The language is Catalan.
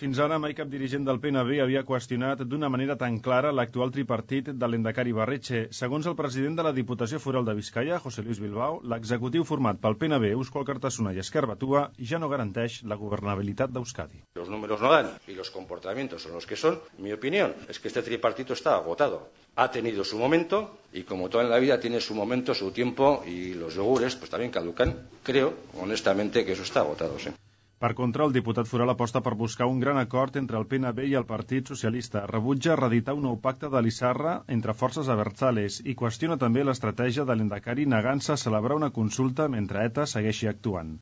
Fins ara mai cap dirigent del PNB havia qüestionat d'una manera tan clara l'actual tripartit de l'Endacari Barretxe. Segons el president de la Diputació Foral de Vizcaya, José Luis Bilbao, l'executiu format pel PNB, Eusko Alkartasuna i Esquerra Batua ja no garanteix la governabilitat d'Euskadi. Los números no dan y los comportamientos son los que son. Mi opinión es que este tripartito está agotado. Ha tenido su momento y como todo en la vida tiene su momento, su tiempo y los yogures pues también caducan. Creo, honestamente, que eso está agotado, sí. Per contra, el diputat foral aposta per buscar un gran acord entre el PNB i el Partit Socialista. Rebutja reeditar un nou pacte de l'Issarra entre forces abertzales i qüestiona també l'estratègia de l'Endacari negant-se a celebrar una consulta mentre ETA segueixi actuant.